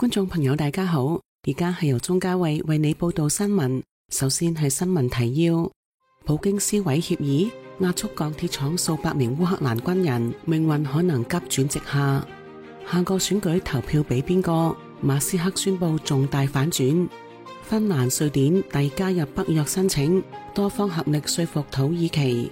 觀眾朋友大家好，而家係由鍾嘉慧為你報道新聞。首先係新聞提要：普京撕毀協議，壓縮鋼鐵廠數百名烏克蘭軍人，命運可能急轉直下。下個選舉投票俾邊個？馬斯克宣布重大反轉。芬蘭、瑞典遞加入北約申請，多方合力說服土耳其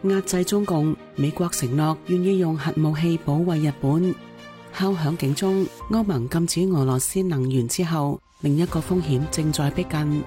壓制中共。美國承諾願意用核武器保衛日本。敲響警鐘，歐盟禁止俄羅斯能源之後，另一個風險正在逼近。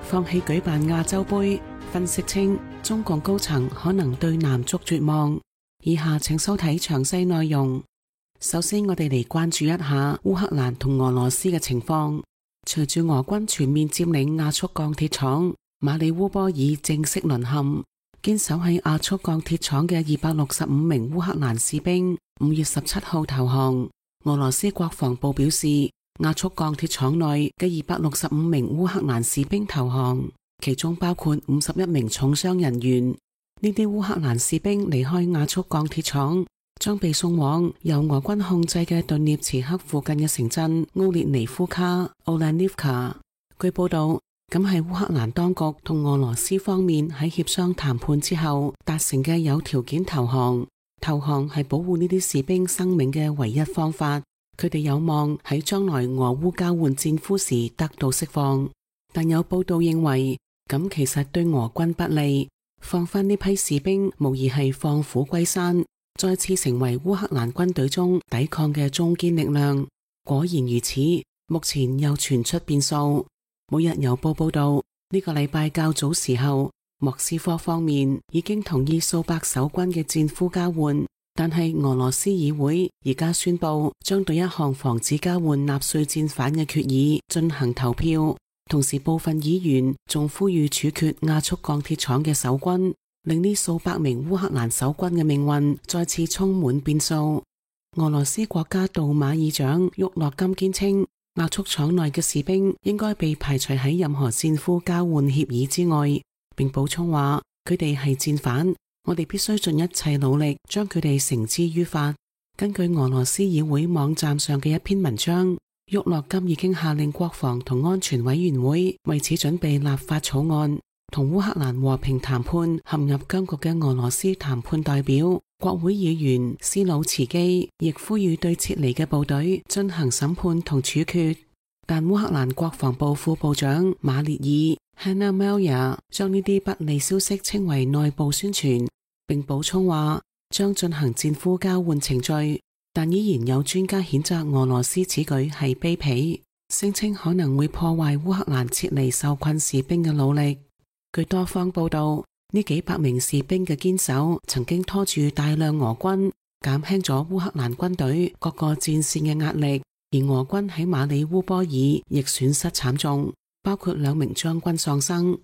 放棄舉辦亞洲盃，分析稱中共高層可能對男足絕望。以下請收睇詳細內容。首先，我哋嚟關注一下烏克蘭同俄羅斯嘅情況。隨住俄軍全面佔領亞速鋼鐵廠，馬里烏波爾正式淪陷。堅守喺亞速鋼鐵廠嘅265名烏克蘭士兵5月17號投降。俄羅斯國防部表示，亞速鋼鐵廠內嘅265名烏克蘭士兵投降，其中包括51名重傷人員。呢啲烏克蘭士兵離開亞速鋼鐵廠，將被送往由俄軍控制嘅頓涅茨克附近嘅城鎮奧列尼夫卡 （Olenivka）。據報道，咁係烏克蘭當局同俄羅斯方面喺協商談判之後達成嘅有條件投降。投降係保護呢啲士兵生命嘅唯一方法。佢哋有望喺將來俄烏交換戰俘時得到釋放。但有報道認為，咁其實對俄軍不利。放返呢批士兵，無疑係放虎歸山，再次成為烏克蘭軍隊中抵抗嘅中堅力量。果然如此，目前又傳出變數。每日郵報報道，呢個禮拜較早時候，莫斯科方面已經同意數百守軍嘅戰俘交換，但係俄羅斯議會而家宣布將對一項防止交換納粹戰犯嘅決議進行投票。同時部分議員仲呼籲處決亞速鋼鐵廠嘅守軍，令呢數百名烏克蘭守軍嘅命運再次充滿變數。俄羅斯國家杜馬議長沃洛金堅稱，亞速廠內嘅士兵應該被排除喺任何戰俘交換協議之外，並補充話佢哋係戰犯，我哋必須盡一切努力將佢哋繩之於法。根據俄羅斯議會網站上嘅一篇文章，沃洛金已經下令國防同安全委員會為此準備立法草案。同烏克蘭和平談判陷入僵局嘅俄羅斯談判代表國會議員斯魯茨基亦呼籲對撤離嘅部隊進行審判同處決。但烏克蘭國防部副部長馬列爾 Hanna Maliar 將呢啲不利消息稱為內部宣傳，並補充話將進行戰俘交換程序，但依然有專家譴責俄羅斯此舉係卑鄙，聲稱可能會破壞烏克蘭撤離受困士兵嘅努力。據多方報道，呢幾百名士兵嘅堅守曾經拖住大量俄軍，減輕咗烏克蘭軍隊各個戰線嘅壓力。而俄軍喺馬里烏波爾亦損失慘重，包括2名將軍喪生。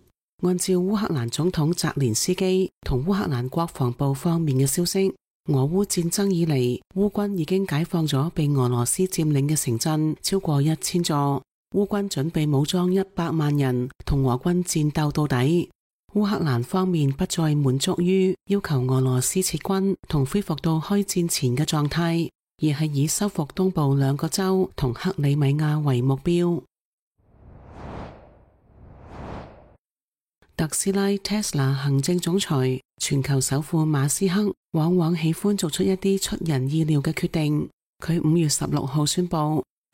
按照烏克蘭總統澤連斯基同烏克蘭國防部方面嘅消息，俄烏戰爭以嚟，烏軍已經解放咗被俄羅斯佔領嘅城鎮超過1000座。烏軍準備武裝100萬人同俄軍戰鬥到底。烏克蘭方面不再滿足於要求俄羅斯撤軍同恢復到開戰前嘅狀態，而係以收復東部2個州同克里米亞為目標。特斯拉 Tesla 行政總裁、全球首富馬斯克往往喜歡做出一啲出人意料嘅決定。佢5月16號宣布，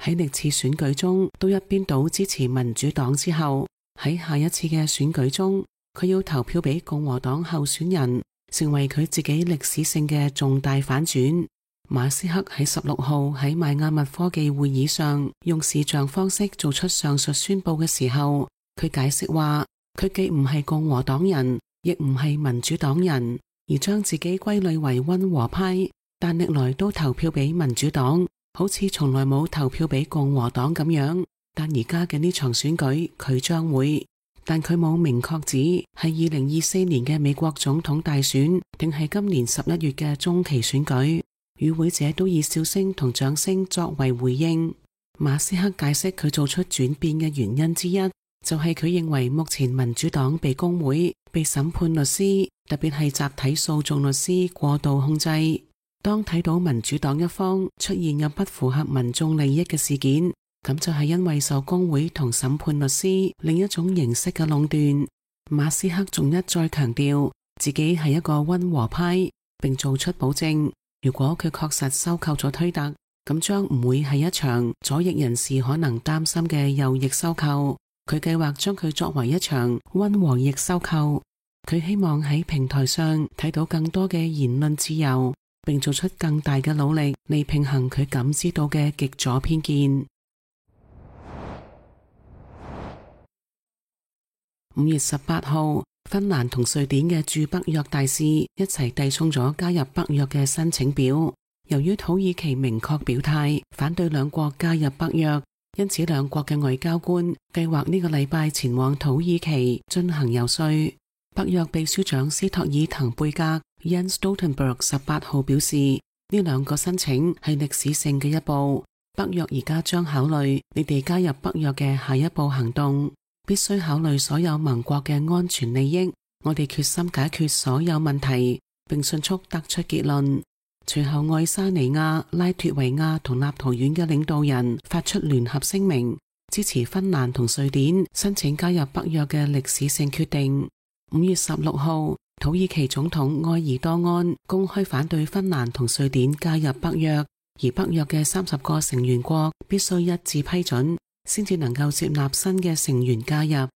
喺歷次選舉中都一邊倒支持民主黨之後，喺下一次嘅選舉中，佢要投票俾共和黨候選人，成為佢自己歷史性嘅重大反轉。馬斯克喺16號喺邁阿密科技會議上用視像方式做出上述宣佈嘅時候，佢解釋話，佢既唔係共和黨人，亦唔係民主黨人，而將自己歸類為溫和派，但歷來都投票俾民主黨，好似從來冇投票俾共和黨咁樣。但而家嘅呢場選舉，佢將會，但佢冇明確指係2024年嘅美國總統大選，定係今年11月嘅中期選舉。與會者都以笑聲同掌聲作為回應。馬斯克解釋佢做出轉變嘅原因之一，就係佢認為目前民主黨被工會、被審判律師，特別係集體訴訟律師過度控制。當睇到民主黨一方出現有不符合民眾利益嘅事件，咁就係因為受工會同審判律師另一種形式嘅壟斷。馬斯克仲一再強調自己係一個溫和派，並做出保證，如果佢確實收購咗推特，咁將唔會係一場左翼人士可能擔心嘅右翼收購。佢計劃將佢作為一場溫和翼收購。佢希望喺平台上睇到更多嘅言論自由，並做出更大嘅努力嚟平衡佢感知到嘅極左偏見。5月18號，芬蘭同瑞典嘅駐北約大使一齊遞送咗加入北約嘅申請表。由於土耳其明確表態反對兩國加入北約，因此兩國嘅外交官計劃呢個禮拜前往土耳其進行游說。北約秘書長斯托爾滕貝格 Jens Stoltenberg 18號表示，呢兩個申請係歷史性嘅一步。北約而家將考慮你哋加入北約嘅下一步行動，必須考慮所有盟國嘅安全利益。我哋決心解決所有問題，並迅速得出結論。隨後，愛沙尼亞、拉脱維亞同立陶宛嘅領導人發出聯合聲明，支持芬蘭同瑞典申請加入北約嘅歷史性決定。5月16號，土耳其總統埃爾多安公開反對芬蘭同瑞典加入北約，而北約嘅30個成員國必須一致批准，先至能夠接納新嘅成員加入。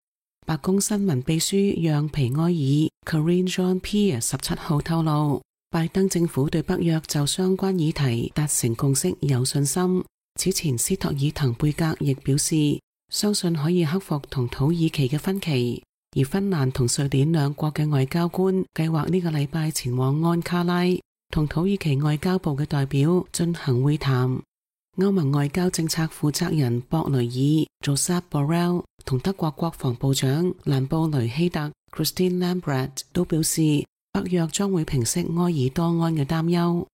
白宮新聞秘書讓皮埃爾 Karine Jean-Pierre 17號透露，拜登政府對北約就相關議題達成共識有信心。此前斯托爾滕貝格亦表示，相信可以克服同土耳其嘅分歧。而芬蘭同瑞典兩國嘅外交官計劃呢個禮拜前往安卡拉，同土耳其外交部嘅代表進行會談。歐盟外交政策負責人博雷爾 Josep Borrell 同德國國防部長蘭布雷希特 Christine Lambrecht 都表示，北約將會平息埃爾多安嘅擔憂。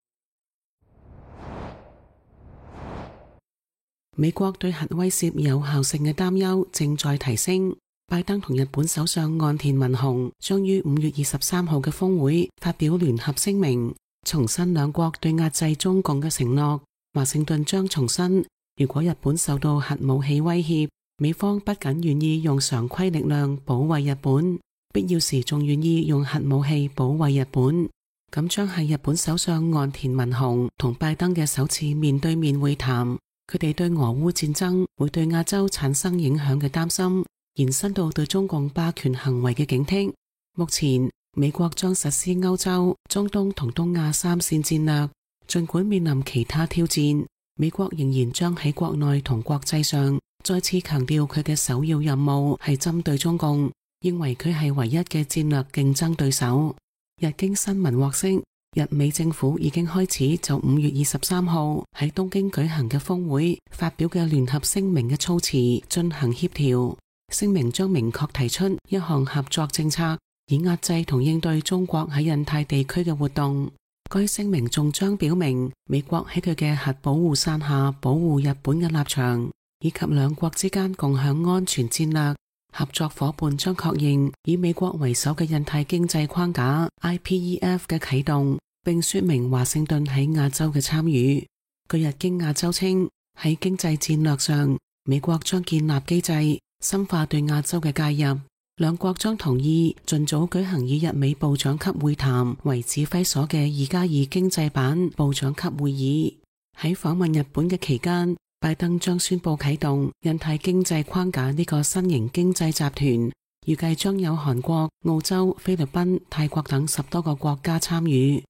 美國對核威懾有效性嘅擔憂正在提升。拜登同日本首相岸田文雄將於5月23號嘅峰會發表聯合聲明，重申兩國對壓制中共嘅承諾。華盛頓將重申，如果日本受到核武器威脅，美方不僅願意用常規力量保衛日本，必要時仲願意用核武器保衛日本。咁將係日本首相岸田文雄同拜登嘅首次面對面會談。佢哋對俄烏戰爭會對亞洲產生影響嘅擔心延伸到對中共霸權行為嘅警惕。目前美國將實施歐洲、中東同東亞3線戰略，儘管面臨其他挑戰，美國仍然將喺國內同國際上再次強調佢嘅首要任務係針對中共，認為佢係唯一嘅戰略競爭對手。日經新聞獲悉，日美政府已經開始就5月23號喺東京舉行嘅峰會發表嘅聯合聲明嘅措辭進行協調。聲明將明確提出一項合作政策，以壓制同應對中國喺印太地區嘅活動。該聲明仲將表明美國喺佢嘅核保護傘下保護日本嘅立場，以及兩國之間共享安全戰略。合作夥伴將確認以美國為首嘅印太經濟框架 IPEF 嘅啟動，並說明華盛頓喺亞洲嘅參與。據日經亞洲稱，喺經濟戰略上，美國將建立機制，深化對亞洲嘅介入。兩國將同意盡早舉行以日美部長級會談為指揮所嘅2+2經濟版部長級會議。喺訪問日本嘅期間，拜登將宣布啟動印太經濟框架呢個新型經濟集團，預計將有韓國、澳洲、菲律賓、泰國等10多個國家參與。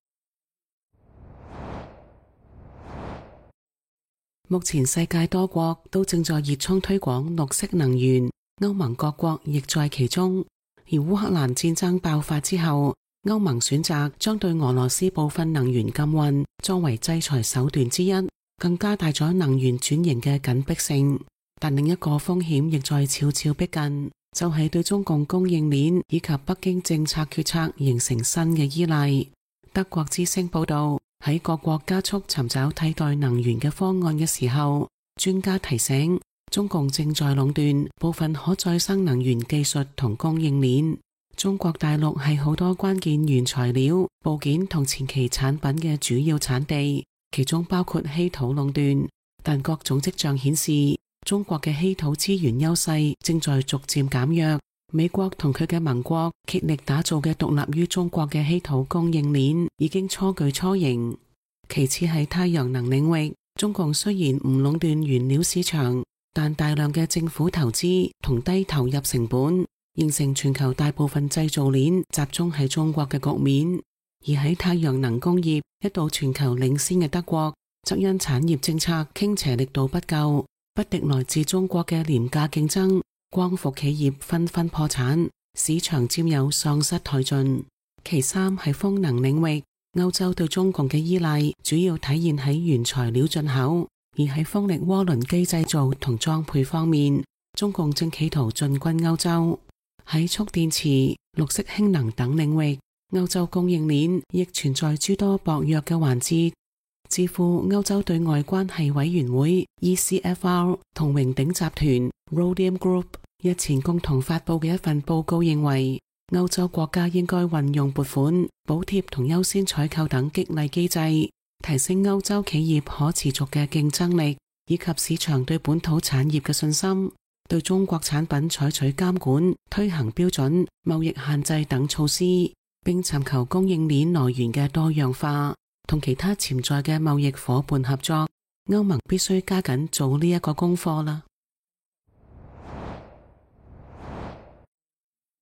目前世界多國都正在熱衷推廣綠色能源，歐盟各國亦在其中。而烏克蘭戰爭爆發之後，歐盟選擇將對俄羅斯部分能源禁運作為制裁手段之一，更加大咗能源轉型嘅緊迫性。但另一個風險亦在悄悄逼近，就係對中共供應鏈以及北京政策決策形成新嘅依賴。德國之聲報道，喺各國加速尋找替代能源嘅方案嘅時候，專家提醒中共正在壟斷部分可再生能源技術同供應鏈。中國大陸係好多關鍵原材料、部件同前期產品嘅主要產地，其中包括稀土壟斷。但各種跡象顯示，中國嘅稀土資源優勢正在逐漸減弱。美國同佢嘅盟國竭力打造嘅獨立於中國嘅稀土供應鏈已經初具雛形。其次係太陽能領域，中共雖然唔壟斷原料市場，但大量嘅政府投資同低投入成本，形成全球大部分製造鏈集中喺中國嘅局面。而喺太陽能工業一度全球領先嘅德國，則因產業政策傾斜力度不夠，不敵來自中國嘅廉價競爭，光伏企業紛紛破產，市場佔有喪失殆盡。其三係風能領域，歐洲對中共嘅依賴主要體現喺原材料進口，而喺風力渦輪機製造同裝配方面，中共正企圖進軍歐洲。喺蓄電池、綠色氫能等領域，歐洲供應鏈亦存在諸多薄弱嘅環節。智庫歐洲對外關係委員會 ECFR 同榮鼎集團 Rhodium Group 日前共同發佈嘅一份報告認為，歐洲國家應該運用撥款、補貼同優先採購等激勵機制，提升歐洲企業可持續嘅競爭力，以及市場對本土產業嘅信心，對中國產品採取監管、推行標準、貿易限制等措施，並尋求供應鏈來源嘅多樣化，同其他潛在嘅貿易夥伴合作。歐盟必須加緊做呢一個功課啦。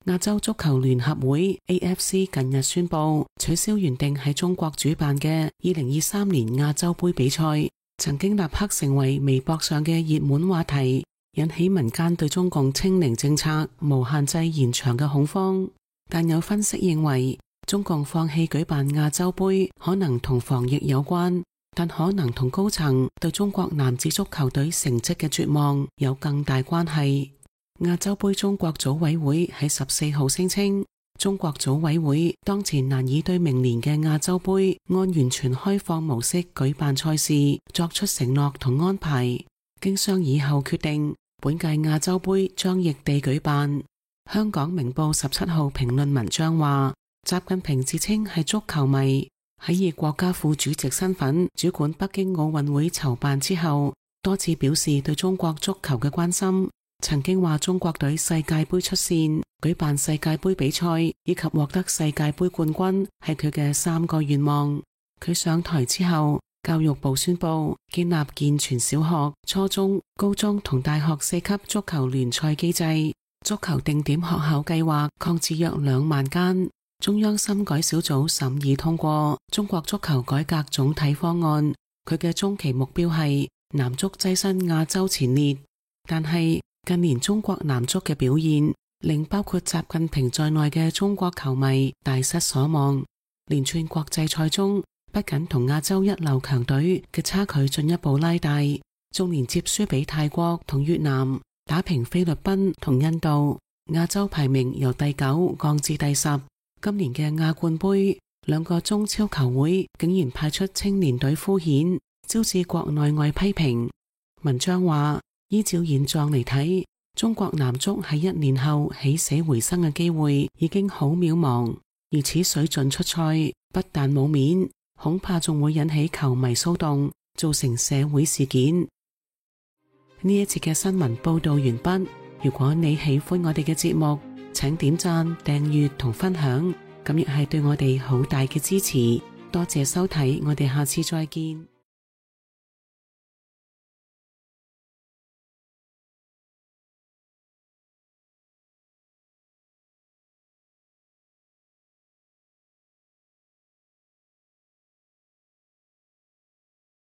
亞洲足球聯合會 AFC 近日宣布取消原定喺中國主辦嘅2023年亞洲盃比賽，曾經立刻成為微博上嘅熱門話題，引起民間對中共清零政策無限制延長嘅恐慌。但有分析認為，中共放棄舉辦亞洲盃可能同防疫有關，但可能同高層對中國男子足球隊成績嘅絕望有更大關係。亞洲盃中國組委會喺14號聲稱，中國組委會當前難以對明年嘅亞洲盃按完全開放模式舉辦賽事作出承諾同安排。經商議後決定，本屆亞洲盃將異地舉辦。香港明報17號評論文章話，習近平自稱係足球迷，喺以國家副主席身份主管北京奧運會籌辦之後，多次表示對中國足球嘅關心。曾經話中國隊世界盃出線、舉辦世界盃比賽以及獲得世界盃冠軍係佢嘅3個願望。佢上台之後，教育部宣布建立健全小學、初中、高中同大學4級足球聯賽機制，足球定點學校計劃擴至約2萬間。中央深改小組審議通過中國足球改革總體方案，佢嘅中期目標係男足躋身亞洲前列。但係近年中國男足嘅表現令包括習近平在內嘅中國球迷大失所望，連串國際賽中不僅同亞洲一流強隊嘅差距進一步拉大，仲連接輸俾泰國同越南，打平菲律賓同印度，亞洲排名由第9降至第10。今年嘅亞冠盃，2個中超球會竟然派出青年隊敷衍，招致國內外批評。文章話，依照現狀嚟睇，中國男足喺1年後起死回生嘅機會已經好渺茫，而此水準出賽不但冇面，恐怕仲會引起球迷騷動，造成社會事件。呢一節嘅新聞報道完畢。如果你喜歡我哋嘅節目，請點讚、訂閱同分享，咁亦係對我哋好大嘅支持。多謝收睇，我哋下次再見。